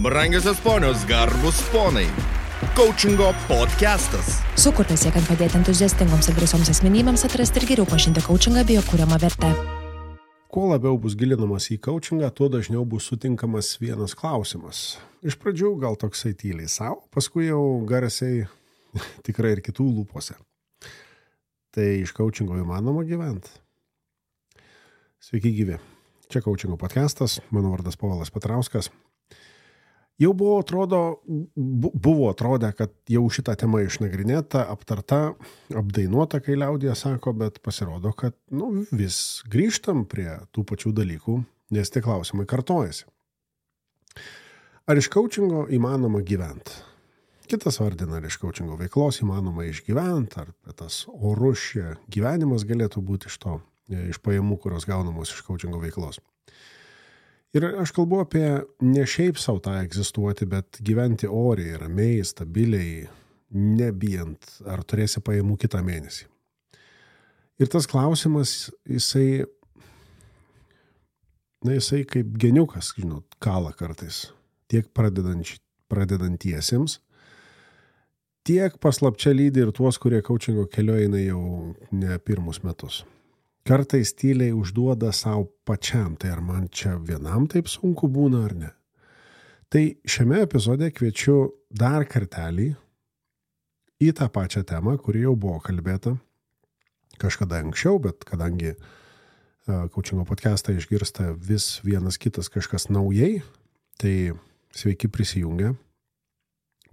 Brangiosios ponios, garbus ponai. Coachingo podcastas. Sukurtas siekiant padėti entuziastingoms ir drąsioms asmenybėms atrasti ir geriau pažinti coachingą bei jo kuriamą vertę. Kuo labiau bus gilinamas į coachingą, tuo dažniau bus sutinkamas vienas klausimas. Iš pradžių gal toksai tyliai savo, paskui jau garsiai tikrai ir kitų lūpose. Tai iš coachingo įmanoma gyventi. Sveiki gyvi. Čia coachingo podcastas, mano vardas Povilas Petrauskas. Jau buvo atrodę, kad jau šitą temą išnagrinėta, aptarta, apdainuota, kai liaudija sako, bet pasirodo, kad vis grįžtam prie tų pačių dalykų, nes tie klausimai kartojasi. Ar iš coachingo įmanoma gyventi? Kitas vardina, ar iš coachingo veiklos įmanoma išgyventi, ar tas orus gyvenimas galėtų būti iš pajamų, kurios gaunamos iš coachingo veiklos. Ir aš kalbu apie ne šiaip savo tą egzistuoti, bet gyventi oriai, ramiai, stabiliai, nebijant, ar turėsi pajamų kitą mėnesį. Ir tas klausimas, jisai kaip geniukas, kala kartais, tiek pradedantiesiems, tiek paslapčia lydi ir tuos, kurie coachingo keliu eina jau ne pirmus metus. Kartais tyliai užduoda savo pačiam, tai ar man čia vienam taip sunku būna ar ne. Tai šiame epizode kviečiu dar kartelį į tą pačią temą, kuri jau buvo kalbėta kažkada anksčiau, bet kadangi coachingo podcastą išgirsta vis vienas kitas kažkas naujai, tai sveiki prisijungę.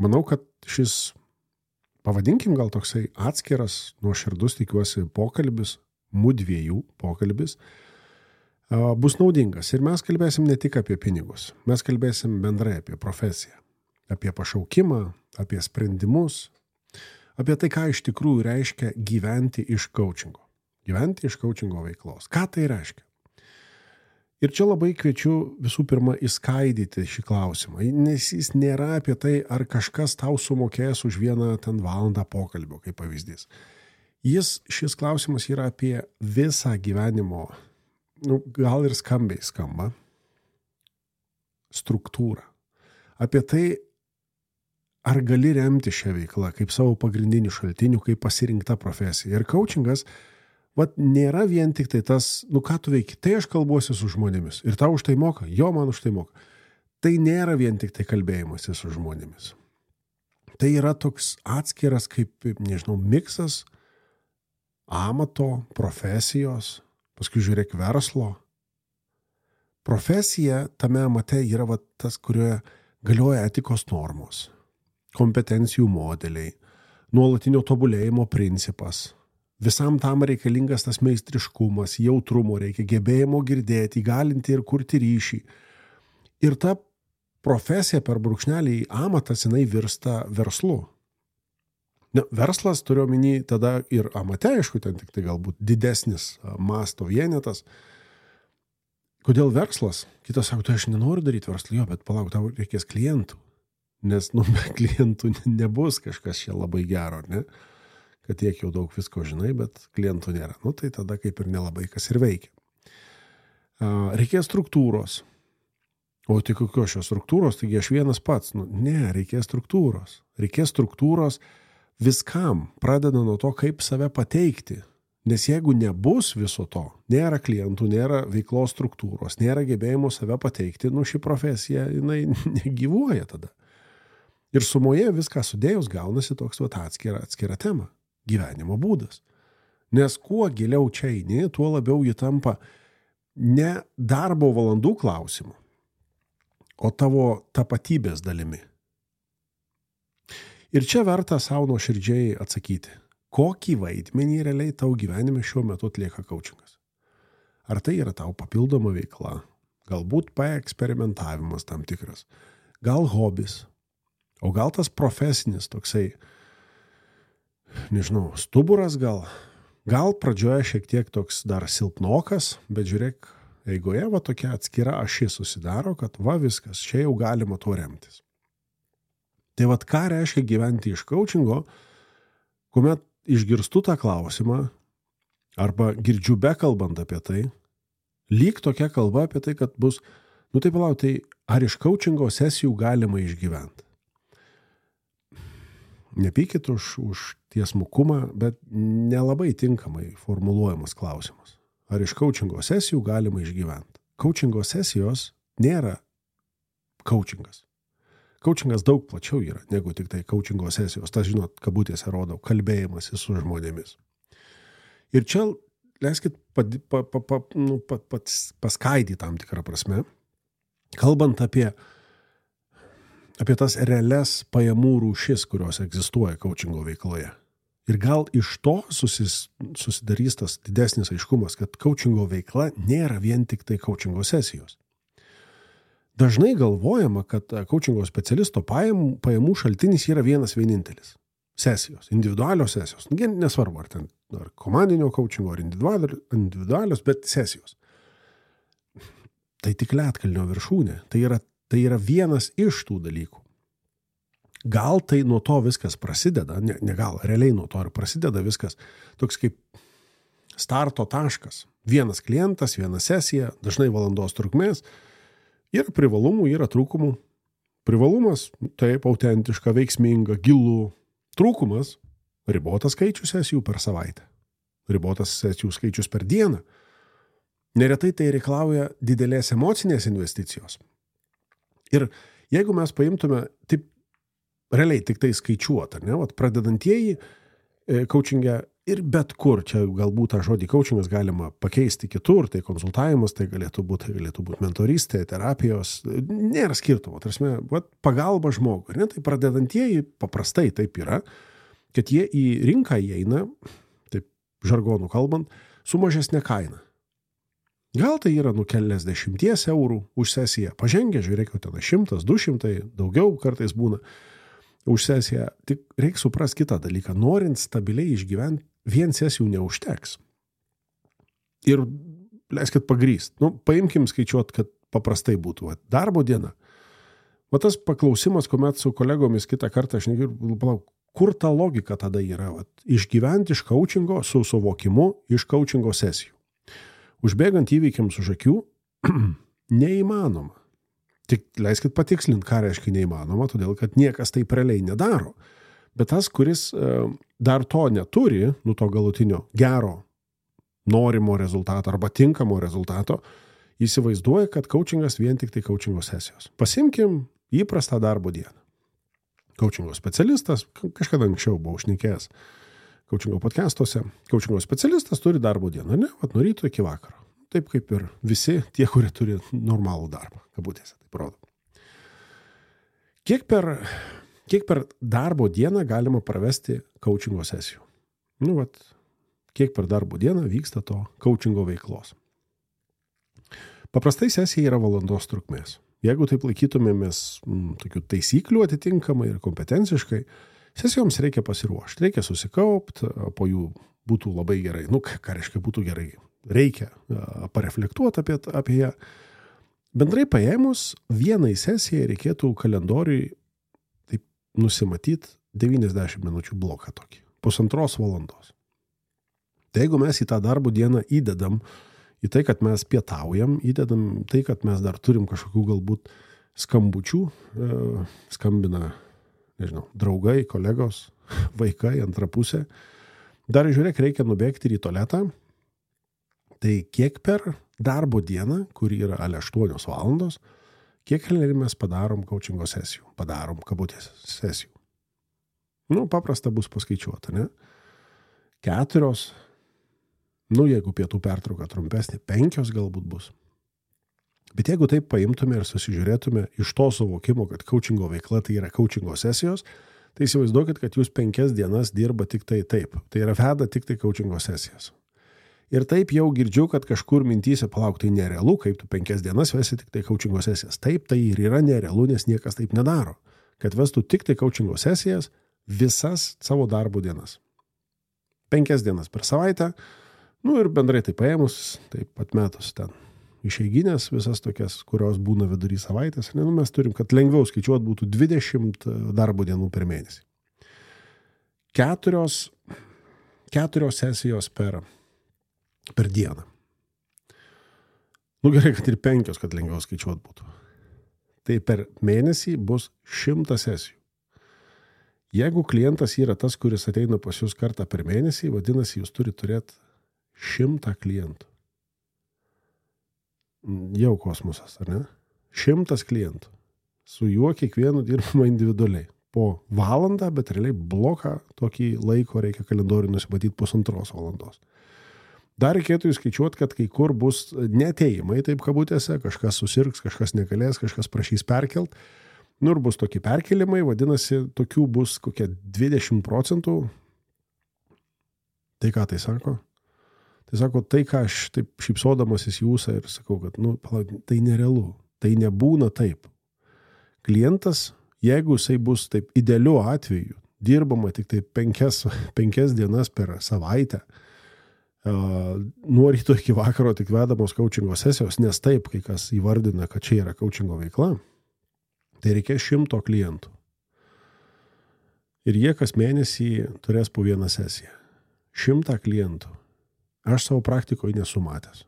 Manau, kad šis, pavadinkim gal toksai atskiras, nuoširdus tikiuosi pokalbis, mudviejų pokalbis, bus naudingas. Ir mes kalbėsim ne tik apie pinigus, mes kalbėsim bendrai apie profesiją, apie pašaukimą, apie sprendimus, apie tai, ką iš tikrųjų reiškia gyventi iš coachingo. Gyventi iš coachingo veiklos. Ką tai reiškia? Ir čia labai kviečiu visų pirma įskaidyti šį klausimą, nes jis nėra apie tai, ar kažkas tau sumokės už vieną ten valandą pokalbio, kaip pavyzdys. Šis klausimas yra apie visą gyvenimo, gal ir skambiai skamba, struktūrą. Apie tai, ar gali remti šią veiklą kaip savo pagrindinių šaltinių, kaip pasirinkta profesija. Ir coachingas, nėra vien tik tai tas, ką tu veiki, tai aš kalbuosi su žmonėmis. Ir tau už tai moka? Jo, man už tai moka. Tai nėra vien tik tai kalbėjimas su žmonėmis. Tai yra toks atskiras, kaip, miksas, amato, profesijos, paskui žiūrėk verslo. Profesija tame amate yra tas, kurioje galioja etikos normos, kompetencijų modeliai, nuolatinio tobulėjimo principas. Visam tam reikalingas tas meistriškumas, jautrumo reikia, gebėjimo girdėti, įgalinti ir kurti ryšį. Ir ta profesija per brūkšnelį amatas, jinai virsta verslu. Verslas turiu omeny tada ir amate, aišku, ten tik tai galbūt didesnis masto vienetas. Kodėl verslas? Kitas sako, tai aš nenoriu daryti verslą, bet palauk, tau reikės klientų. Nes be klientų nebus kažkas čia labai gero, ne? Kad tiek jau daug visko žinai, bet klientų nėra. Tai tada kaip ir nelabai kas ir veikia. Reikės struktūros. O tai kokios šios struktūros? Taigi aš vienas pats. Ne, reikės struktūros. Reikės struktūros viskam, pradeda nuo to, kaip save pateikti. Nes jeigu nebus viso to, nėra klientų, nėra veiklos struktūros, nėra gebėjimo save pateikti, ši profesija, jinai negyvuoja tada. Ir sumoje viską sudėjus gaunasi toks atskira tema. Gyvenimo būdas. Nes kuo giliau čia eini, tuo labiau ji tampa ne darbo valandų klausimu, o tavo tapatybės dalimi. Ir čia verta savo nuoširdžiai atsakyti, kokį vaidmenį realiai tau gyvenime šiuo metu atlieka coachingas. Ar tai yra tau papildoma veikla, galbūt paeksperimentavimas tam tikras, gal hobis, o gal tas profesinis toksai, stuburas gal pradžioje šiek tiek toks dar silpnokas, bet žiūrėk, eigoje tokia atskira ašis susidaro, kad viskas, čia jau galima tuo remtis. Tai ką reiškia gyventi iš coachingo, kuomet išgirstu tą klausimą, arba girdžiu bekalbant apie tai, lyg tokia kalba apie tai, kad bus, tai palauk, tai ar iš coachingo sesijų galima išgyventi? Nepykit už tiesmukumą, bet nelabai tinkamai formuluojamas klausimas. Ar iš coachingo sesijų galima išgyventi? Coachingo sesijos nėra coachingas. Coachingas daug plačiau yra negu tik tai coachingo sesijos. Tas, žinot, kabutėse rodau, kalbėjimas su žmonėmis. Ir čia, leiskit, paskaidyti tam tikrą prasme, kalbant apie tas realias pajamų rūšis, kurios egzistuoja coachingo veikloje. Ir gal iš to susidarys tas didesnis aiškumas, kad coachingo veikla nėra vien tik tai coachingo sesijos. Dažnai galvojama, kad coachingo specialisto pajamų šaltinis yra vienintelis. Sesijos, individualios sesijos. Nesvarbu, ar komandinio coachingo, ar individualios, bet sesijos. Tai tik ledkalnio viršūnė. Tai yra vienas iš tų dalykų. Gal tai nuo to viskas prasideda, realiai nuo to ir prasideda viskas. Toks kaip starto taškas. Vienas klientas, viena sesija, dažnai valandos trukmės. Yra privalumų, yra trūkumų. Privalumas, taip, autentiška, veiksminga, gilų. Trūkumas, ribotas skaičius sesijų per savaitę. Ribotas sesijų skaičius per dieną. Neretai tai reikalauja didelės emocinės investicijos. Ir jeigu mes paimtume, taip, realiai tik tai skaičiuot, ar ne, pradedantieji coachingę ir bet kur, čia galbūt tą žodį coachingas galima pakeisti kitur, tai konsultavimas, tai galėtų būti mentorystė, terapijos, nėra skirtumo, tarsi, pagalba žmogui, ne, tai pradedantieji paprastai taip yra, kad jie į rinką įeina, taip žargonų kalbant, su mažesnė kaina. Gal tai yra keliasdešimties eurų už sesiją, pažengę, žiūrėkite, ten 100, 200, daugiau kartais būna už sesiją, tik reikia suprasti kitą dalyką, norint stabiliai išgyventi, vien sesijų neužteks. Ir leiskit pagrįst. Paimkim skaičiuot, kad paprastai būtų. Darbo diena. Tas paklausimas, kuomet su kolegomis kitą kartą aš negirdžiu, kur ta logika tada yra? Išgyventi iš coachingo su suvokimu iš coachingo sesijų. Užbėgant įvykiams už akių, neįmanoma. Tik leiskit patikslinti, ką reiškia neįmanoma, todėl kad niekas taip realiai nedaro. Bet tas, kuris dar to neturi, to galutinio gero, norimo rezultato arba tinkamo rezultato, įsivaizduoja, kad coachingas vien tik tai coachingo sesijos. Pasimkim įprastą darbo dieną. Coachingo specialistas, kažkada anksčiau buvau šnekėjęs coachingo podcastuose, coachingo specialistas turi darbo dieną, ne? Nuo ryto iki vakaro. Taip kaip ir visi tie, kurie turi normalų darbą, kabutėse, taip rodo. Kiek per darbo dieną galima pravesti coachingo sesijų? Kiek per darbo dieną vyksta to coachingo veiklos? Paprastai sesija yra valandos trukmės. Jeigu taip laikytumėmės tokių taisyklių atitinkamai ir kompetenciškai, sesijoms reikia pasiruošti, reikia susikaupti, po jų būtų labai gerai. Ką reiškia būtų gerai? Reikia pareflektuoti apie ją. Bendrai paėmus, vienai sesijai reikėtų kalendoriui taip nusimatyti 90 minučių bloką tokį, 1,5 valandos. Tai jeigu mes į tą darbo dieną įdedam į tai, kad mes pietaujam, įdedam tai, kad mes dar turim kažkokių galbūt skambučių, skambina, draugai, kolegos, vaikai, antra pusė, dar žiūrėk, reikia nubėgti ir į tualetą. Tai kiek per darbo dieną, kuri yra 8 valandos, kiek mes padarom coachingo sesijų, padarom kabutės sesijų. Paprasta bus paskaičiuota, ne? 4, jeigu pietų pertrauka trumpesnė, 5 galbūt bus. Bet jeigu taip paimtume ir susižiūrėtume iš to suvokimo, kad coachingo veikla tai yra coachingo sesijos, tai įsivaizduokit, kad jūs 5 dienas dirba tik tai taip. Tai yra veda tik tai coachingo sesijas. Ir taip jau girdžiu, kad kažkur mintyse palauk, tai nerealu, kaip tu 5 dienas vesi tik tai coachingo sesijas. Taip, tai ir yra nerealu, nes niekas taip nedaro. Kad vestų tik tai coachingo sesijas visas savo darbo dienas. 5 dienas per savaitę, ir bendrai tai paėmus, taip atmetus ten išeiginės visas tokias, kurios būna vidury savaitės. Mes turim, kad lengviau skaičiuot būtų 20 darbo dienų per mėnesį. 4 sesijos per dieną. Gerai, kad ir 5, kad lengviau skaičiuot būtų. tai per mėnesį bus 100 sesijų. Jeigu klientas yra tas, kuris ateina pas jūs kartą per mėnesį, vadinasi, jūs turi turėti 100 klientų. Jau kosmosas, ar ne? 100 klientų. Su juo kiekvienu dirbama individualiai. Po valandą, bet realiai bloką tokį laiko reikia kalendorių nusimatyti 1,5 valandos. Dar reikėtų įskaičiuoti, kad kai kur bus neatėjimai, taip kabutėse, kažkas susirgs, kažkas negalės, kažkas prašys perkelt. Nu ir bus tokie perkelimai, vadinasi, tokių bus kokie 20%. Tai ką tai sako? Tai sako, tai ką aš taip šypsodamasis jūsą ir sakau, kad tai nerealu, tai nebūna taip. Klientas, jeigu jisai bus taip idealiu atveju, dirbama tik tai 5 dienas per savaitę, nuo ryto iki vakaro tik vedamos coachingo sesijos, nes taip, kai kas įvardina, kad čia yra coachingo veikla, tai reikės 100 klientų. Ir jie kas mėnesį turės po vieną sesiją. 100 klientų. Aš savo praktikoje nesu matęs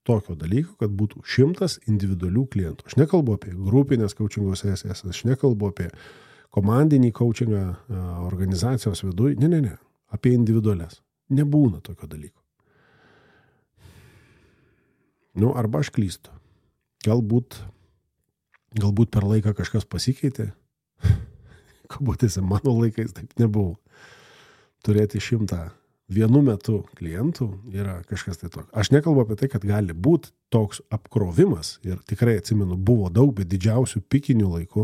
tokio dalyko, kad būtų 100 individualių klientų. Aš nekalbu apie grupinės coachingo sesijas, aš nekalbu apie komandinį coachingą organizacijos viduje. Ne. Apie individualias. Nebūna tokio dalyko. Nu, arba aš klystu. Galbūt per laiką kažkas pasikeitė. Kabutėse, mano laikais taip nebuvo. Turėti 100 vienu metu klientų yra kažkas tai tokio. Aš nekalbu apie tai, kad gali būti toks apkrovimas ir tikrai atsimenu, buvo daug, bet didžiausių pikinių laikų,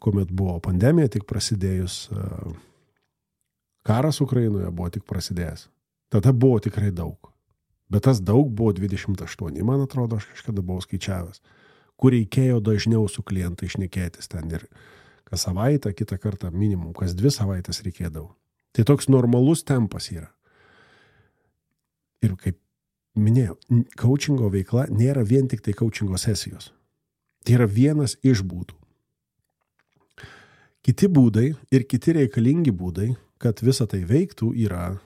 kuomet buvo pandemija tik prasidėjus, karas Ukrainoje buvo tik prasidėjęs. Tada buvo tikrai daug. Bet tas daug buvo 28, man atrodo, aš kažkada buvau skaičiavęs, kur reikėjo dažniau su klientai šnekėtis ten ir kas savaitę, kitą kartą minimum, kas 2 savaitės reikėdavo. Tai toks normalus tempas yra. Ir kaip minėjau, coachingo veikla nėra vien tik tai coachingo sesijos. Tai yra vienas iš būdų. Kiti būdai ir kiti reikalingi būdai, kad visa tai veiktų, yra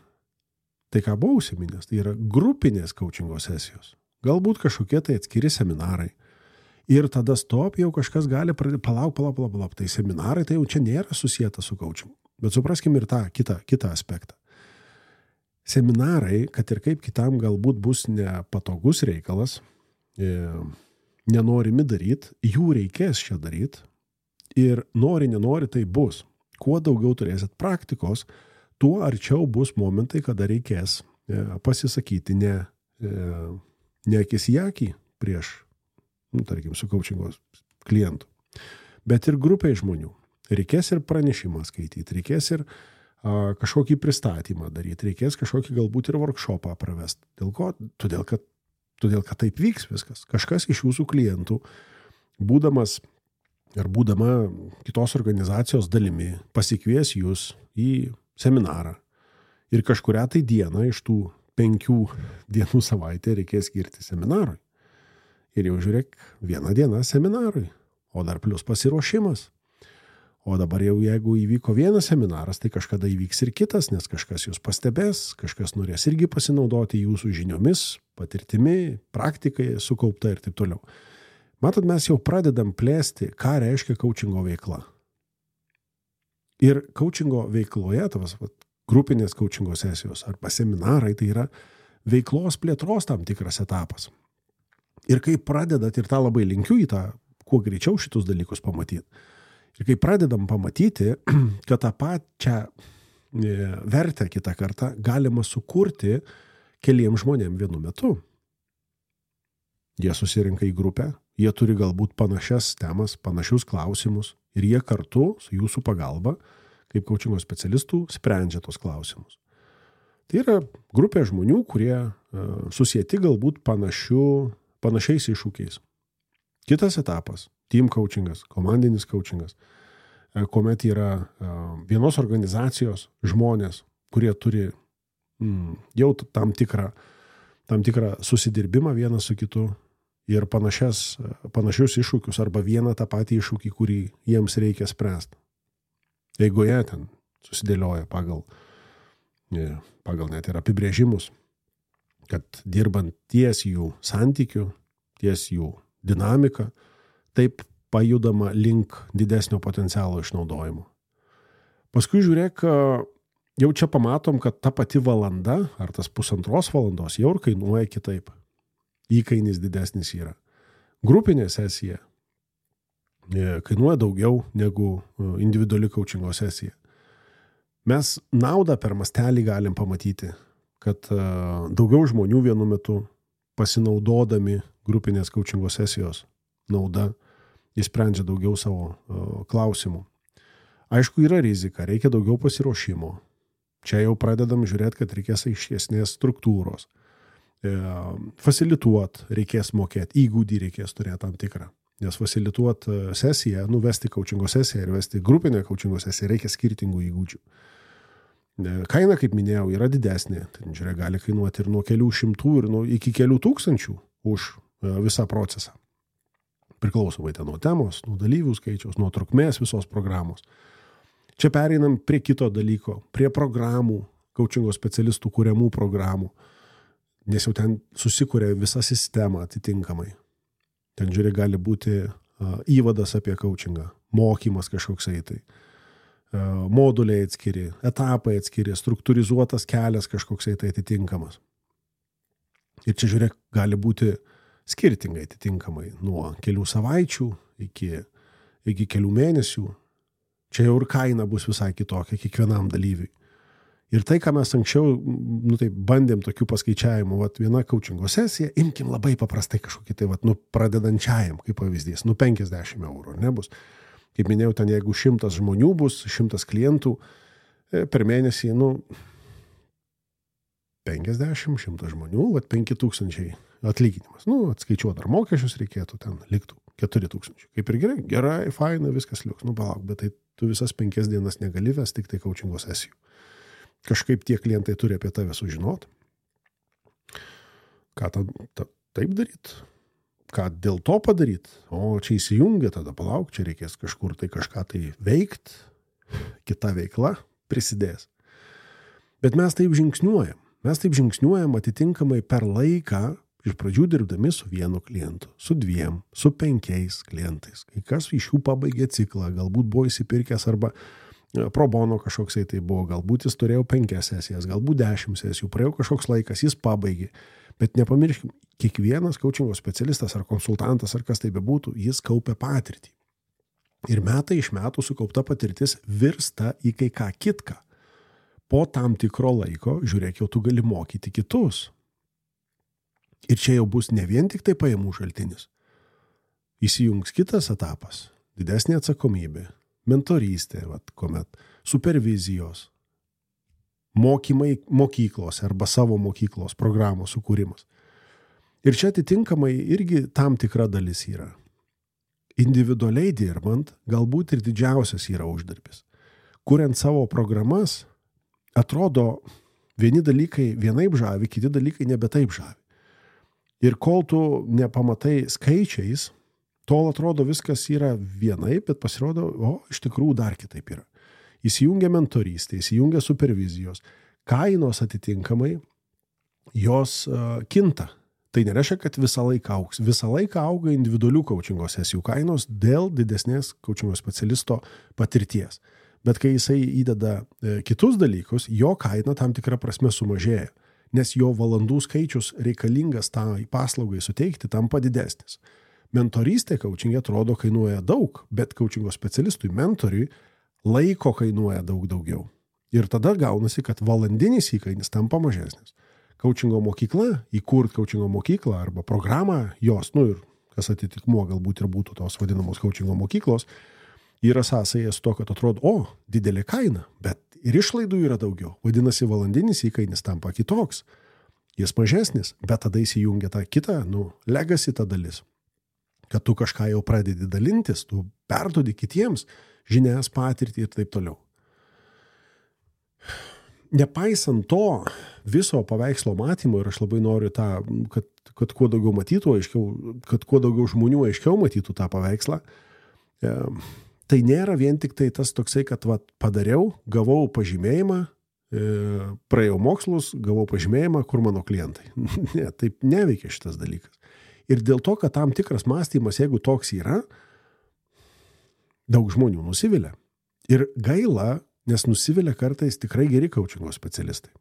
tai, ką buvau užsiminęs, tai yra grupinės coachingo sesijos. Galbūt kažkokie tai atskiri seminarai. Ir tada stop, jau kažkas gali pradėti, palauk. Tai seminarai, tai jau čia nėra susijęta su coachingu. Bet supraskim ir tą kitą aspektą. Seminarai, kad ir kaip kitam galbūt bus nepatogus reikalas, nenorimi daryti, jų reikės čia daryti. Ir nenori, tai bus. Kuo daugiau turėsit praktikos, tuo arčiau bus momentai, kada reikės pasisakyti ne akis į akį prieš, tarkim, su coachingo klientu, bet ir grupiai žmonių. Reikės ir pranešimą skaityti, reikės ir kažkokį pristatymą daryti, reikės kažkokį galbūt ir workshopą pravesti. Dėl ko? Todėl, kad taip vyks viskas. Kažkas iš jūsų klientų, būdama kitos organizacijos dalimi, pasikvies jūs į seminarą. Ir kažkurią tai dieną iš tų 5 dienų savaitę reikės skirti seminarui. Ir jau žiūrėk, 1 diena seminarui, o dar plus pasiruošimas. O dabar jau jeigu įvyko vienas seminaras, tai kažkada įvyks ir kitas, nes kažkas jūs pastebės, kažkas norės irgi pasinaudoti jūsų žiniomis, patirtimi, praktikai sukaupta ir taip toliau. Matot, mes jau pradedam plėsti, ką reiškia coachingo veikla. Ir coachingo veikloje, grupinės coachingo sesijos arba seminarai, tai yra veiklos plėtros tam tikras etapas. Ir kai pradedat, ir tą labai linkiu į tą, kuo greičiau šitus dalykus pamatyti. Ir kai pradedam pamatyti, kad tą pačią vertę kitą kartą galima sukurti keliems žmonėms vienu metu. Jie susirinka į grupę, jie turi galbūt panašias temas, panašius klausimus ir jie kartu su jūsų pagalba, kaip coachingo specialistų, sprendžia tos klausimus. Tai yra grupė žmonių, kurie susieti galbūt panašiais iššūkiais. Kitas etapas – team coachingas, komandinis coachingas, kuomet yra vienos organizacijos žmonės, kurie turi jau tam tikrą susidirbimą vienas su kitu ir panašius iššūkius arba vieną tą patį iššūkį, kurį jiems reikia spręsti. Jeigu jie ten susidėlioja pagal net ir apibrėžimus, kad dirbant ties jų santykių, ties jų dinamiką, taip pajudama link didesnio potencialo išnaudojimo. Paskui žiūrėk, jau čia pamatom, kad ta pati valanda ar tas 1,5 valandos jau ir kainuoja kitaip. Įkainis didesnis yra. Grupinė sesija kainuoja daugiau negu individuali coachingo sesija. Mes naudą per mastelį galim pamatyti, kad daugiau žmonių vienu metu pasinaudodami grupinės coachingo sesijos nauda įsprendžia daugiau savo klausimų. Aišku, yra rizika, reikia daugiau pasiruošimo. Čia jau pradedam žiūrėti, kad reikės aiškesnės struktūros. Fasilituot reikės mokėti, įgūdį reikės turėti tam tikrą. Nes fasilituot sesiją, vesti coachingo sesiją ir vesti grupinę coachingo sesiją reikia skirtingų įgūdžių. Kaina, kaip minėjau, yra didesnė. Tai, žiūrėk, gali kainuoti ir nuo kelių šimtų ir iki kelių tūkstančių už visą procesą. Priklausomai nuo temos, nuo dalyvių skaičiaus, nuo trukmės visos programos. Čia pereinam prie kito dalyko, prie programų, coachingo specialistų kuriamų programų, nes jau ten susikuria visa sistema atitinkamai. Ten, žiūrėk, gali būti įvadas apie coachingą, mokymas kažkoksai tai, moduliai atskiri, etapai atskiri, struktūrizuotas kelias kažkoksai tai atitinkamas. Ir čia, žiūrėk, gali būti skirtingai atitinkamai, nuo kelių savaičių iki kelių mėnesių. Čia jau ir kaina bus visai kitokia kiekvienam dalyviui. Ir tai, ką mes anksčiau bandėm tokių paskaičiavimų, viena coachingo sesija, imkim labai paprastai kažkokį pradedančiajam, kaip pavyzdys, 50 eurų, nebus. Kaip minėjau, ten jeigu 100 žmonių bus, 100 klientų, per mėnesį, 50-100 žmonių, 5,000 atlyginimas. Atskaičiuot ar mokesčius reikėtų, ten liktų 4,000. Kaip ir gerai, faina, viskas liuks. Palauk, bet tai tu visas 5 dienas negali vesti tik tai coachingo sesijų. Kažkaip tie klientai turi apie tave sužinot. Ką taip daryt? Ką dėl to padaryt? O čia įsijungia, tada palauk, čia reikės kažkur tai kažką tai veikt, kita veikla prisidės. Bet mes taip žingsniuojam. Mes taip žingsniuojam atitinkamai per laiką, iš pradžių dirbdami su vienu klientu, su 2, su 5 klientais. Kai kas iš jų pabaigė ciklą, galbūt buvo įsipirkęs arba pro bono kažkoksai tai buvo, galbūt jis turėjo 5 sesijas, galbūt 10 sesijų, praėjo kažkoks laikas, jis pabaigė. Bet nepamirškim, kiekvienas coachingo specialistas ar konsultantas ar kas tai bebūtų, jis kaupia patirtį. Ir metai iš metų sukaupta patirtis virsta į kai ką kitką. Po tam tikro laiko, žiūrėk, jau tu gali mokyti kitus. Ir čia jau bus ne vien tik tai pajamų šaltinis. Įsijungs kitas etapas, didesnė atsakomybė, mentorystė, kuomet supervizijos, mokymai mokyklose arba savo mokyklos programos sukūrimas. Ir čia atitinkamai irgi tam tikra dalis yra. Individualiai dirbant, galbūt ir didžiausias yra uždarbis. Kuriant savo programas, atrodo, vieni dalykai vienaip žavi, kiti dalykai nebe taip žavi. Ir kol tu nepamatai skaičiais, tol atrodo viskas yra vienaip, bet pasirodo, iš tikrųjų dar kitaip yra. Įsijungia mentorystė, įsijungia supervizijos, kainos atitinkamai, jos kinta. Tai nereiškia, kad visą laiką augs. Visą laiką auga individualių coachingo sesijų kainos dėl didesnės coachingo specialisto patirties. Bet kai jisai įdeda kitus dalykus, jo kaina tam tikrą prasme sumažėja, nes jo valandų skaičius reikalingas tai paslaugai suteikti tampa didesnis. Mentorystė coachingė atrodo kainuoja daug, bet coachingo specialistui, mentoriui laiko kainuoja daug daugiau. Ir tada gaunasi, kad valandinis įkainis tampa mažesnis. Coachingo mokykla, įkurt coachingo mokyklą arba programą jos, ir kas atitikmuo galbūt ir būtų tos vadinamos coachingo mokyklos, yra sąsaja su to, kad atrodo, didelė kaina, bet ir išlaidų yra daugiau. Vadinasi, valandinis įkainis tampa kitoks. Jis mažesnis, bet tada įsijungia ta kita, legacy ta dalis. Kad tu kažką jau pradedi dalintis, tu perduodi kitiems žinias, patirtį ir taip toliau. Nepaisant to viso paveikslo matymo, ir aš labai noriu tą, kad kuo daugiau matytų aiškiau, kad kuo daugiau žmonių aiškiau matytų tą paveikslą, tai nėra vien tik tai tas toksai, kad padariau, gavau pažymėjimą, praėjau mokslus, gavau pažymėjimą, kur mano klientai. Ne, taip neveikia šitas dalykas. Ir dėl to, kad tam tikras mąstymas, jeigu toks yra, daug žmonių nusivilia. Ir gaila, nes nusivilia kartais tikrai geri coachingo specialistai.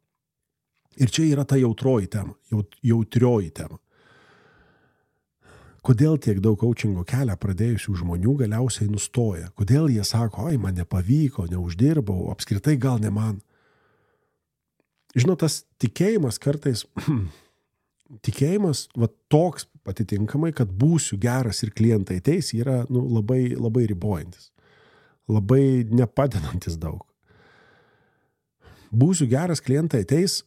Ir čia yra ta jautrioji tema. Kodėl tiek daug coachingo kelią pradėjusių žmonių galiausiai nustoja? Kodėl jie sako, oi, man nepavyko, neuždirbau, apskritai gal ne man? Žinot, tas tikėjimas kartais, va toks atitinkamai, kad būsiu geras ir klientai ateis, yra labai, labai ribojantis, labai nepadedantis daug. Būsiu geras, klientai ateis,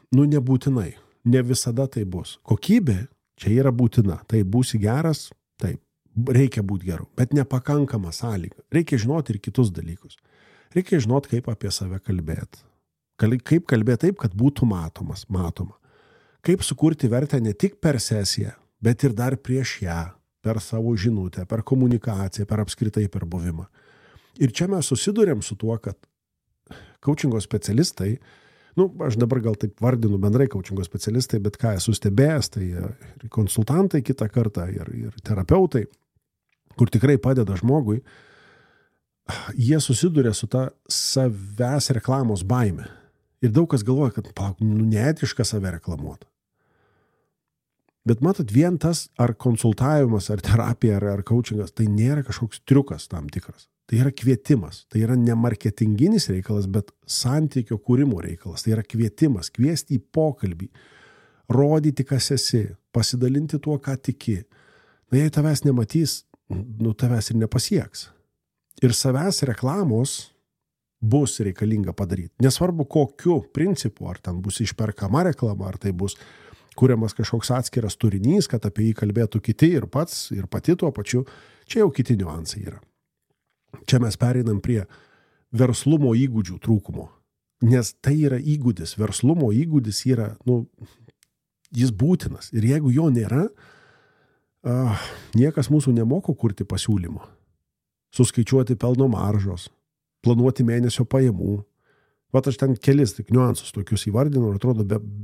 nebūtinai, ne visada tai bus. Kokybė čia yra būtina, tai būsi geras, taip, reikia būti geru, bet nepakankama sąlyga. Reikia žinoti ir kitus dalykus. Reikia žinoti, kaip apie save kalbėti. Kaip kalbėti taip, kad būtų matoma. Kaip sukurti vertę ne tik per sesiją, bet ir dar prieš ją, per savo žinutę, per komunikaciją, per apskritai per buvimą. Ir čia mes susidurėm su tuo, kad coachingo specialistai, aš dabar gal taip vardinu bendrai coachingo specialistai, bet ką esu stebėjęs, tai ir konsultantai kitą kartą, ir terapeutai, kur tikrai padeda žmogui, jie susiduria su ta savęs reklamos baime. Ir daug kas galvoja, kad neetiška save reklamuoti. Bet matot, vien tas ar konsultavimas, ar terapija, ar coachingas, tai nėra kažkoks triukas tam tikras. Tai yra kvietimas. Tai yra ne marketinginis reikalas, bet santykio kūrimo reikalas. Tai yra kvietimas, kviesti į pokalbį, rodyti, kas esi, pasidalinti tuo, ką tiki. Jei tavęs nematys, tavęs ir nepasieks. Ir savęs reklamos bus reikalinga padaryti. Nesvarbu, kokiu principu, ar ten bus išperkama reklama, ar tai bus kuriamas kažkoks atskiras turinys, kad apie jį kalbėtų kiti ir pats, ir pati tuo pačiu. Čia jau kiti niuansai yra. Čia mes pereinam prie verslumo įgūdžių trūkumo. Nes tai yra įgūdis. Verslumo įgūdis yra, jis būtinas. Ir jeigu jo nėra, niekas mūsų nemoko kurti pasiūlymų. Suskaičiuoti pelno maržos, planuoti mėnesio pajamų. Vat aš ten kelis tik niuansus tokius įvardinu ir atrodo,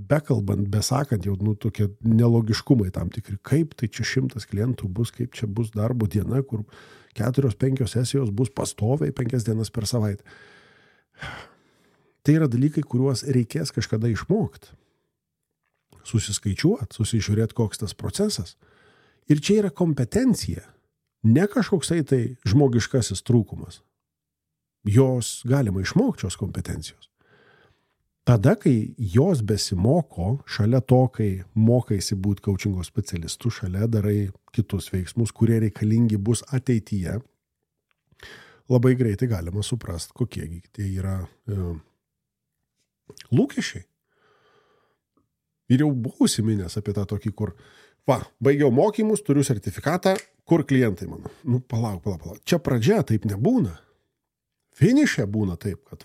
bekalbant, besakant, jau tokie nelogiškumai tam tikri. Kaip tai čia 100 klientų bus, kaip čia bus darbo diena, kur 4-5 sesijos bus pastoviai 5 dienas per savaitę. Tai yra dalykai, kuriuos reikės kažkada išmokti. Susiskaičiuoti, susižiūrėti, koks tas procesas. Ir čia yra kompetencija, ne kažkoksai tai žmogiškasis trūkumas. Jos galima išmokti šios kompetencijos. Tada, kai jos besimoko, šalia to, kai mokaisi būti coachingo specialistu, šalia darai kitus veiksmus, kurie reikalingi bus ateityje, labai greitai galima suprasti, kokie tai yra lūkesčiai. Ir jau buvau užsiminęs apie tą tokį, kur, baigiau mokymus, turiu sertifikatą, kur klientai mano. Palauk. Čia pradžia taip nebūna. Finiše būna taip, kad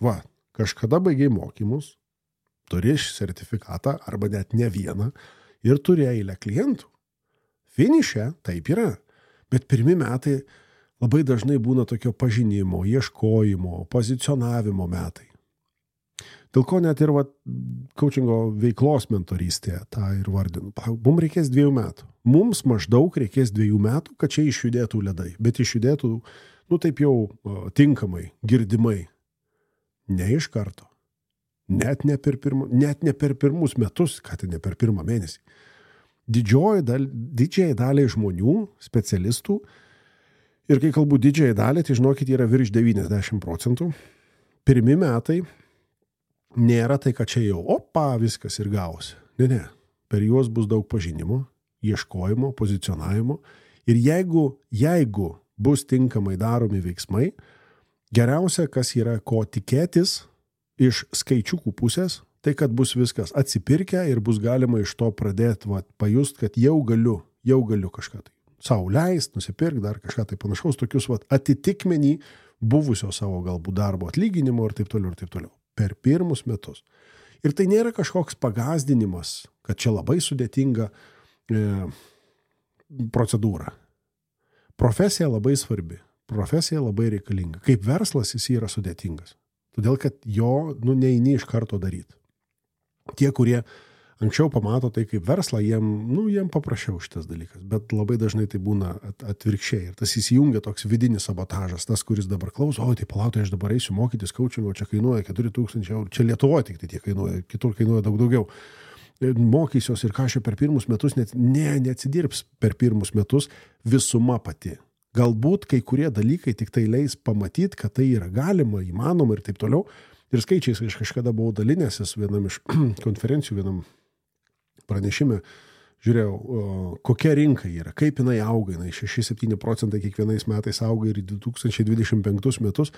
kažkada baigiai mokymus, turi sertifikatą arba net ne vieną ir turi eilę klientų. Finiše taip yra, bet pirmi metai labai dažnai būna tokio pažinimo, ieškojimo, pozicionavimo metai. Dėl ko net ir coachingo veiklos mentorystėje tą ir vardinu. Mums reikės 2 metų. Mums maždaug reikės 2 metų, kad čia išjudėtų ledai, bet išjudėtų taip jau tinkamai, girdimai. Ne iš karto. Net ne per pirmus metus, kad ne per pirmą mėnesį. Didžiai daliai žmonių, specialistų, ir kai kalbu didžiai daliai, tai žinokit, yra virš 90%. Pirmi metai nėra tai, kad čia jau, viskas ir gausi. Ne. Per juos bus daug pažinimo, ieškojimo, pozicionavimo. Ir jeigu bus tinkamai daromi veiksmai, geriausia, kas yra ko tikėtis iš skaičiukų pusės, tai kad bus viskas atsipirkę ir bus galima iš to pradėti pajust, kad jau galiu kažką tai sau leist, nusipirkti dar kažką tai panašaus, tokius atitikmenį buvusio savo galbūt darbo atlyginimo ir taip toliau. Per pirmus metus. Ir tai nėra kažkoks pagazdinimas, kad čia labai sudėtinga procedūra. Profesija labai svarbi, profesija labai reikalinga. Kaip verslas jis yra sudėtingas. Todėl, kad jo neini iš karto daryti. Tie, kurie anksčiau pamato tai kaip verslą, jiem paprasčiau šitas dalykas, bet labai dažnai tai būna atvirkščiai. Ir tas įsijungia toks vidinis sabotažas, tas, kuris dabar klauso, tai palautai, aš dabar eisiu mokytis coachingo, čia kainuoja 4,000 €, čia Lietuvoje tik tai tiek kainuoja, kitur kainuoja daug daugiau. Mokysios ir ką aš per pirmus metus, neatsidirbs per pirmus metus visuma pati. Galbūt kai kurie dalykai tik tai leis pamatyti, kad tai yra galima, įmanoma ir taip toliau. Ir skaičiais aš kažkada buvau dalinęsis vienam iš konferencijų, vienam pranešime, žiūrėjau, kokia rinka yra, kaip jinai auga, 6-7% kiekvienais metais auga ir 2025 metus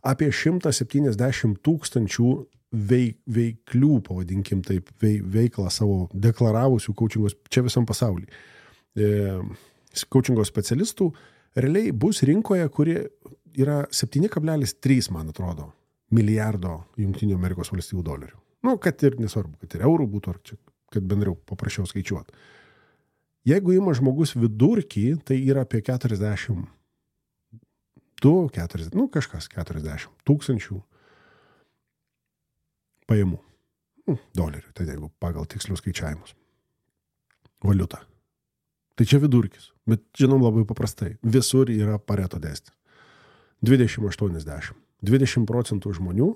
apie 170 000 veiklių, pavadinkim taip, veiklą savo deklaravusių coachingos, čia visam pasaulyje. Coachingo specialistų realiai bus rinkoje, kuri yra 7,3, man atrodo, milijardo Jungtinių Amerikos valstijų dolerių. Kad ir nesvarbu, kad ir eurų būtų, ar čia, kad bendriau paprasčiau skaičiuoti. Jeigu ima žmogus vidurkį, tai yra apie 40 000 pajamų. Dolerių, tai jeigu pagal tikslius skaičiavimus. Valiuta. Tai čia vidurkis, bet žinom labai paprastai. Visur yra Pareto dėsnis. 20-80. 20% žmonių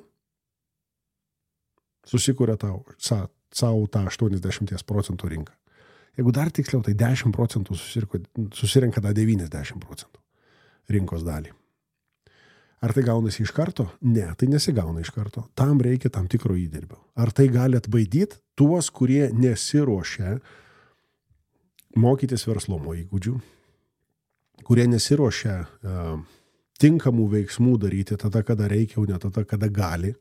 susikuria savo tą 80% rinką. Jeigu dar tiksliau, tai 10% susirenka tą 90% rinkos dalį. Ar tai gaunasi iš karto? Ne, tai nesigauna iš karto. Tam reikia tam tikro įdirbio. Ar tai gali atbaidyti tuos, kurie nesiruošia mokytis verslumo įgūdžių, kurie nesiruošia tinkamų veiksmų daryti tada, kada reikia, o ne tada, kada gali.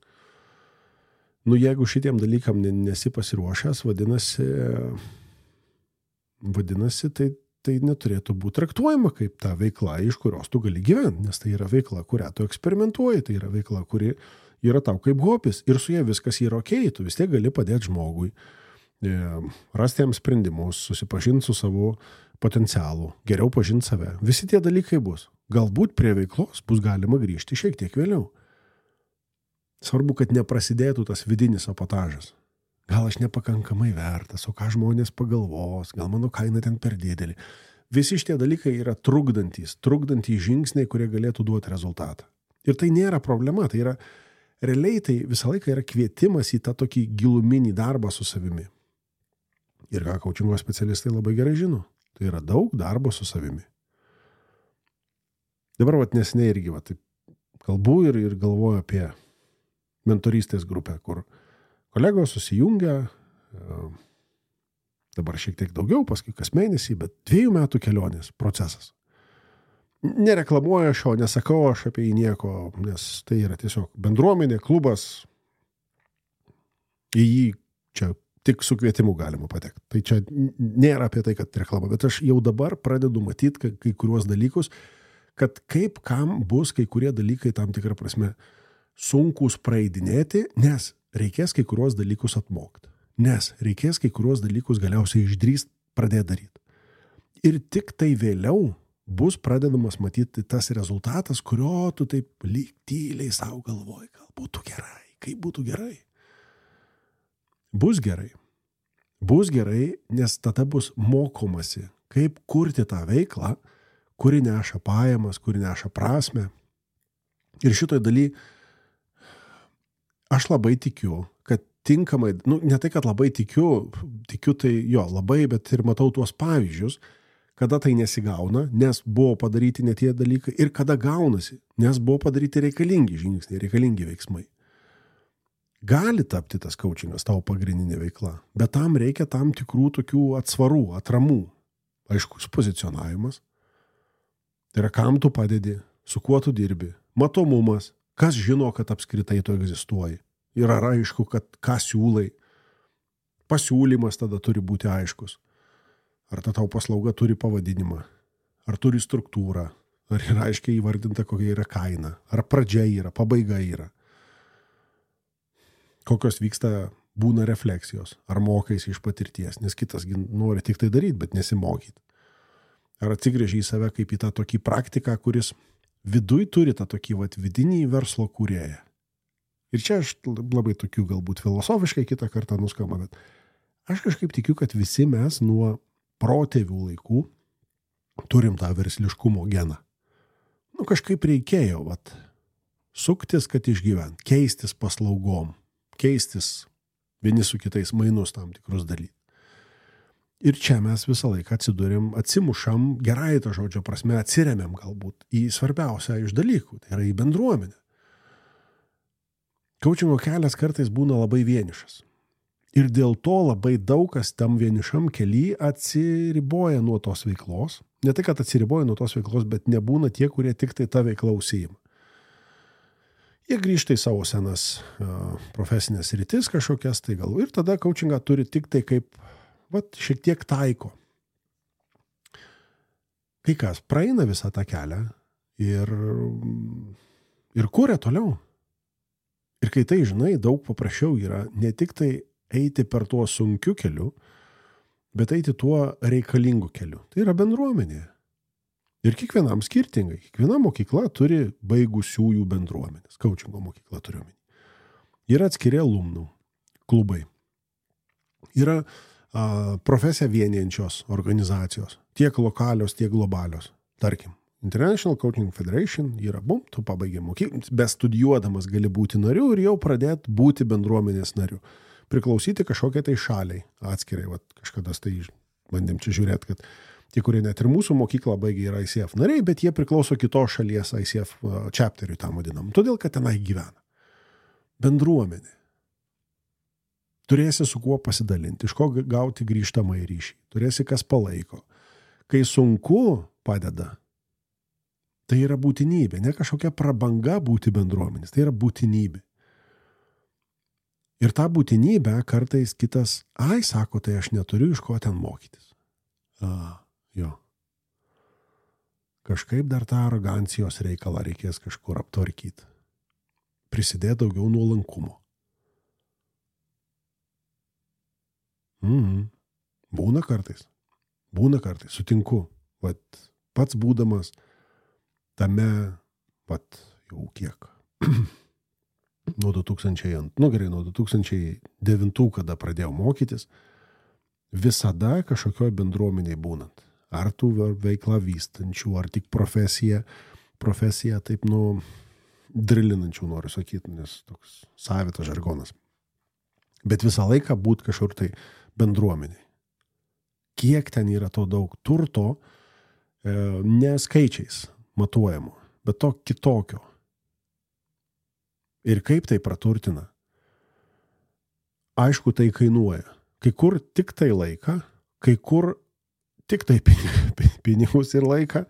Jeigu šitiem dalykam nesi pasiruošęs, vadinasi, tai neturėtų būti traktuojama kaip ta veikla, iš kurios tu gali gyventi, nes tai yra veikla, kurią tu eksperimentuoji, tai yra veikla, kuri yra tau kaip hobis ir su ja viskas yra okei, tu vis tiek gali padėti žmogui, rasti jam sprendimus, susipažinti su savo potencialu, geriau pažinti save. Visi tie dalykai bus. Galbūt prie veiklos bus galima grįžti šiek tiek vėliau. Svarbu, kad neprasidėtų tas vidinis sabotažas. Gal aš nepakankamai vertas, o ką žmonės pagalvos, gal mano kaina ten per didelė. Visi šitie dalykai yra trukdantys žingsniai, kurie galėtų duoti rezultatą. Ir tai nėra problema, tai yra realiai tai visą laiką yra kvietimas į tą tokį giluminį darbą su savimi. Ir ką coachingo specialistai labai gerai žino, tai yra daug darbo su savimi. Dabar neseniai irgi taip kalbu ir galvoju apie mentorystės grupę, kur kolegos susijungia, dabar šiek tiek daugiau, paskui kas mėnesį, bet 2 metų kelionės procesas. Nereklamuoju aš jo, nesakau aš apie jį nieko, nes tai yra tiesiog bendruomenė, klubas, į jį čia tik su kvietimu galima patekti. Tai čia nėra apie tai, kad reklama, bet aš jau dabar pradedu matyti kai kuriuos dalykus, kad kaip kam bus kai kurie dalykai tam tikrą prasme sunkus praeidinėti, nes reikės kai kuriuos dalykus atmokti, nes reikės kai kuriuos dalykus galiausiai išdrįst pradėti daryti. Ir tik tai vėliau bus pradedamas matyti tas rezultatas, kurio tu taip lyg tyliai savo galvoji, gal būtų gerai, kaip būtų gerai. Bus gerai. Bus gerai, nes tada bus mokomasi, kaip kurti tą veiklą, kuri neša pajamas, kuri neša prasmę. Ir šitoj daly aš labai tikiu, kad tinkamai, ne tai, kad labai tikiu tai jo, labai, bet ir matau tuos pavyzdžius, kada tai nesigauna, nes buvo padaryti ne tie dalykai, ir kada gaunasi, nes buvo padaryti reikalingi žingsniai, reikalingi veiksmai. Gali tapti tas coachingas tavo pagrindinė veikla, bet tam reikia tam tikrų tokių atsvarų, atramų. Aiškus pozicionavimas. Tai yra, kam tu padedi, su kuo tu dirbi, matomumas, kas žino, kad apskritai tu egzistuoji. Ir ar aišku, kad ką siūlai. Pasiūlymas tada turi būti aiškus. Ar ta tavo paslauga turi pavadinimą, ar turi struktūrą, ar yra aiškiai įvardinta, kokia yra kaina, ar pradžia yra, pabaiga yra. Kokios vyksta būna refleksijos, ar mokaisi iš patirties, nes kitas nori tik tai daryti, bet nesimokyti. Ar atsigrėži į save kaip į tą tokį praktiką, kuris viduj turi tą tokį vidinį verslo kūrėją. Ir čia aš labai tokių galbūt filosofiškai kitą kartą nuskamba, bet Aš kažkaip tikiu, kad visi mes nuo protėvių laikų turim tą versliškumo geną. Kažkaip reikėjo, suktis, kad išgyvent, keistis paslaugom, keistis vieni su kitais mainus tam tikrus dalykų. Ir čia mes visą laiką atsimušam, gerai to žodžio prasme, atsiremiam galbūt į svarbiausią iš dalykų, tai yra į bendruomenę. Kaučingo kelias kartais būna labai vienišas. Ir dėl to labai daug kas tam vienišam kely atsiriboja nuo tos veiklos. Ne tai, kad atsiriboja nuo tos veiklos, bet nebūna tie, kurie tik tai tą veiklą užsiima. Jie grįžta į savo senas profesinės rytis kažkokias tai gal. Ir tada kaučingą turi tik tai kaip šiek tiek taiko. Kai kas praeina visą tą kelią ir kuria toliau. Ir kai tai žinai, daug paprasčiau yra ne tik tai eiti per tuo sunkiu keliu, bet eiti tuo reikalingu keliu. Tai yra bendruomenė. Ir kiekvienam skirtingai. Kiekviena mokykla turi baigusiųjų bendruomenės. Kaučingo mokykla turiu omeny. Yra atskiri alumnų klubai. Yra profesiją vienijančios organizacijos. Tiek lokalios, tiek globalios. Tarkim, International Coaching Federation yra, tu pabaigė mokyklą, bestudijuodamas gali būti nariu ir jau pradėti būti bendruomenės nariu. Priklausyti kažkokiai tai šaliai atskirai. Kažkada tai bandėm čia žiūrėti, kad tie, kurie net ir mūsų mokyklą baigė, yra ICF nariai, bet jie priklauso kitos šalies ICF chapteriui tam vadinam. Todėl, kad tenai gyvena. Bendruomenė. Turėsi su kuo pasidalinti, iš ko gauti grįžtamą į ryšį. Turėsi kas palaiko. Kai sunku padeda, tai yra būtinybė. Ne kažkokia prabanga būti bendruomenės. Tai yra būtinybė. Ir tą būtinybę kartais kitas, sako, tai aš neturiu iš ko ten mokytis. Jo. Kažkaip dar tą arogancijos reikalą reikės kažkur aptvarkyti. Prisidėti daugiau nuolankumo. Būna kartais, sutinku. Pats būdamas tame, jau kiek, nuo 2009, kada pradėjau mokytis, visada kažkokioj bendruomeniai būnant. Ar tų veiklą vystančių, ar tik profesiją taip, drilinančių, noriu sakyti, nes toks savitas žargonas. Bet visą laiką būt kažkur tai bendruomeniai. Kiek ten yra to daug turto, ne skaičiais matuojamo, bet to kitokio. Ir kaip tai praturtina? Aišku, tai kainuoja. Kai kur tik tai laiką, kai kur tik tai pinigus ir laiką.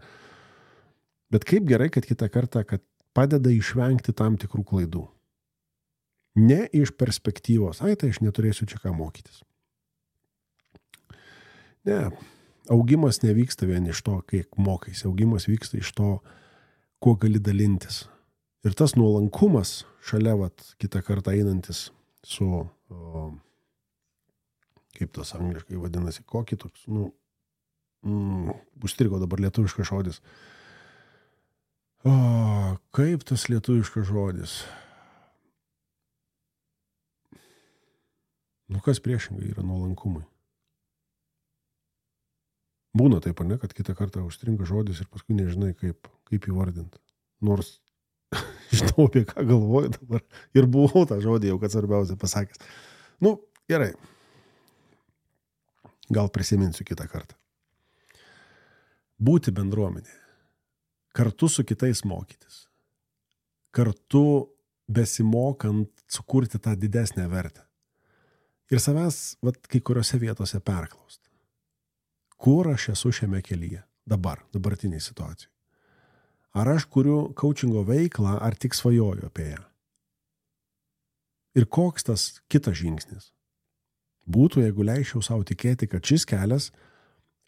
Bet kaip gerai, kad kitą kartą, kad padeda išvengti tam tikrų klaidų. Ne iš perspektyvos, tai aš neturėsiu čia ką mokytis. Ne, augimas nevyksta vien iš to, kiek mokaisi. Augimas vyksta iš to, kuo gali dalintis. Ir tas nuolankumas šalia, kitą kartą einantis su, kaip tas angliškai vadinasi, kokį toks, užstrigo dabar lietuviškas žodis. Kaip tas lietuviškas žodis? Kas priešingai yra nuolankumui? Būna taip, ne, kad kitą kartą užstringa žodis ir paskui nežinai, kaip įvardinti. Nors žinau, apie ką galvoju dabar. Ir buvau tą žodį jau, kad svarbiausia pasakęs. Gerai. Gal prisiminsiu kitą kartą. Būti bendruomenė. Kartu su kitais mokytis. Kartu besimokant sukurti tą didesnę vertę. Ir savęs, kai kuriuose vietose perklausti. Kur aš esu šiame kelyje? Dabartiniai situacijai. Ar aš kuriu kaučingo veiklą, ar tik svajoju apie ją? Ir koks tas kitas žingsnis? Būtų, jeigu leisčiau savo tikėti, kad šis kelias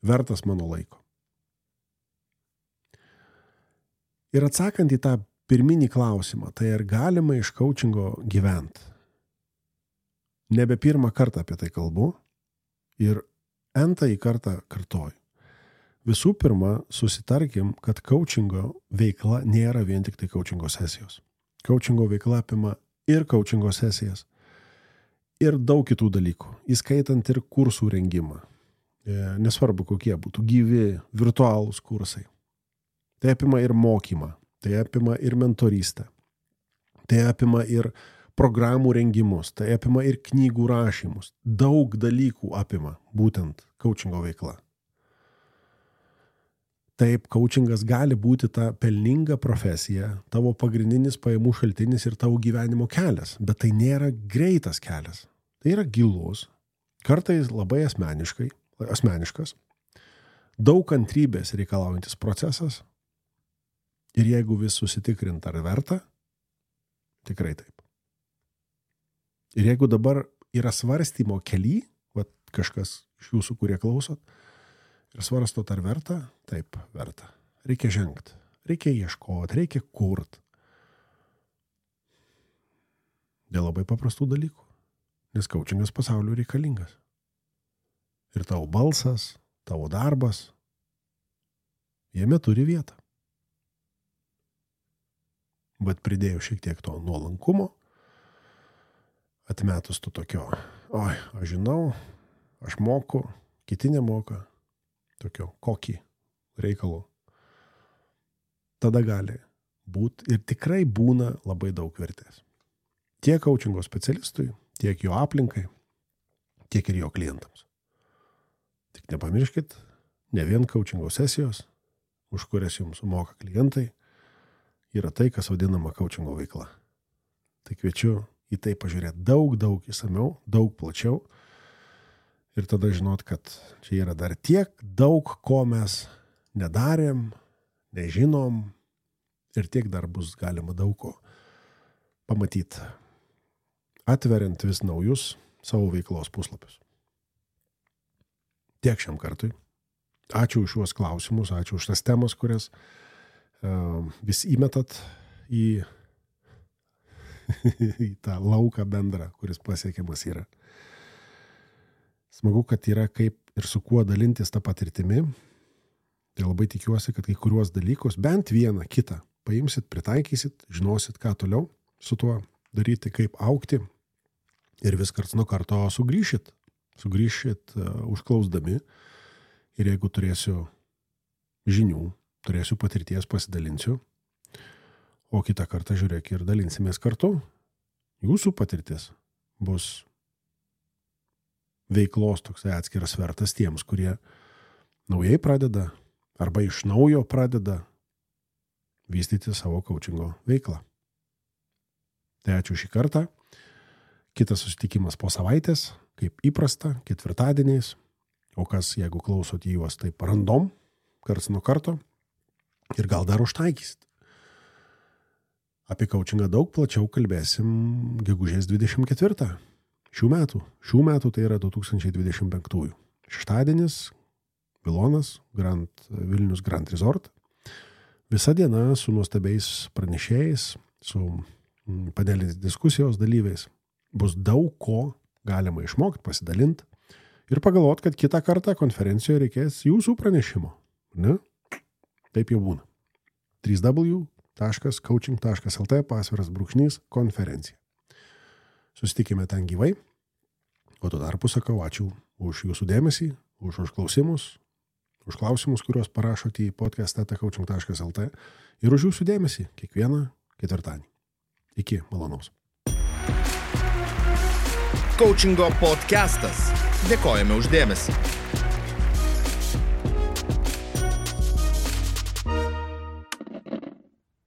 vertas mano laiko. Ir atsakant į tą pirminį klausimą, tai ar galima iš kaučingo gyventi? Nebe pirmą kartą apie tai kalbu ir entąjį kartą kartoju. Visų pirma, susitarkim, kad kaučingo veikla nėra vien tik tai kaučingo sesijos. Kaučingo veikla apima ir kaučingo sesijas, ir daug kitų dalykų, įskaitant ir kursų rengimą. Nesvarbu, kokie būtų gyvi, virtualūs kursai. Tai apima ir mokymą, tai apima ir mentorystę, tai apima ir programų rengimus, tai apima ir knygų rašymus. Daug dalykų apima būtent coachingo veikla. Taip, coachingas gali būti ta pelninga profesija, tavo pagrindinis pajamų šaltinis ir tavo gyvenimo kelias, bet tai nėra greitas kelias. Tai yra gilus, kartais labai asmeniškas, daug kantrybės reikalaujantis procesas ir jeigu vis susitikrint ar verta, tikrai taip. Ir jeigu dabar yra svarstymo kely, kažkas iš jūsų, kurie klausot, ir svarstot ar verta, taip, verta. Reikia žengti, reikia ieškoti, reikia kurt. Dėl labai paprastų dalykų, nes coachingas pasauliu reikalingas. Ir tavo balsas, tavo darbas, jame turi vietą. Bet pridėjau šiek tiek to nuolankumo, atmetus tu tokio, aš žinau, aš moku, kiti nemoka, tokio kokį reikalų. Tada gali būti ir tikrai būna labai daug vertės. Tiek coachingo specialistui, tiek jo aplinkai, tiek ir jo klientams. Tik nepamirškit, ne vien coachingo sesijos, už kurias jums sumoka klientai, yra tai, kas vadinama coachingo veikla. Tai kviečiu į tai pažiūrėti daug įsamiau, daug plačiau ir tada žinot, kad čia yra dar tiek daug, ko mes nedarėm, nežinom ir tiek dar bus galima daug ko pamatyti, atveriant vis naujus savo veiklos puslapius. Tiek šiam kartui. Ačiū už šiuos klausimus, ačiū už tas temas, kurias vis įmetat į tą lauką bendrą, kuris pasiekiamas yra. Smagu, kad yra kaip ir su kuo dalintis tą patirtimi. Tai labai tikiuosi, kad kai kuriuos dalykus, bent vieną kitą, paimsit, pritaikysit, žinosit, ką toliau su tuo daryti, kaip augti ir vis karts nuo karto sugrįšit užklausdami ir jeigu turėsiu žinių, turėsiu patirties, pasidalinsiu, o kitą kartą žiūrėk ir dalinsimės kartu. Jūsų patirtis bus veiklos toksai atskiras svertas tiems, kurie naujai pradeda arba iš naujo pradeda vystyti savo coachingo veiklą. Tai ačiū šį kartą. Kitas susitikimas po savaitės, kaip įprasta, ketvirtadieniais, o kas, jeigu klausot į juos taip random, karts nuo karto, ir gal dar užtaikysit. Apie coachingą daug plačiau kalbėsim gegužės 24. Šių metų tai yra 2025. Šeštadienis, Vilonas, Vilnius Grand Resort. Visa diena su nuostabiais pranešėjais, su panelinės diskusijos dalyviais. Bus daug ko galima išmokti, pasidalinti ir pagalvoti, kad kitą kartą konferencijoje reikės jūsų pranešimo. Ne? Taip jau būna. www.coaching.lt/konferencija. Susitikime ten gyvai, o tuo tarpu sakau ačiū už jūsų dėmesį, už užklausimus, už klausimus, kuriuos parašote į podcast.coaching.lt ir už jūsų dėmesį kiekvieną ketvirtadienį. Iki malonaus. Coachingo podcastas. Dėkojame už dėmesį.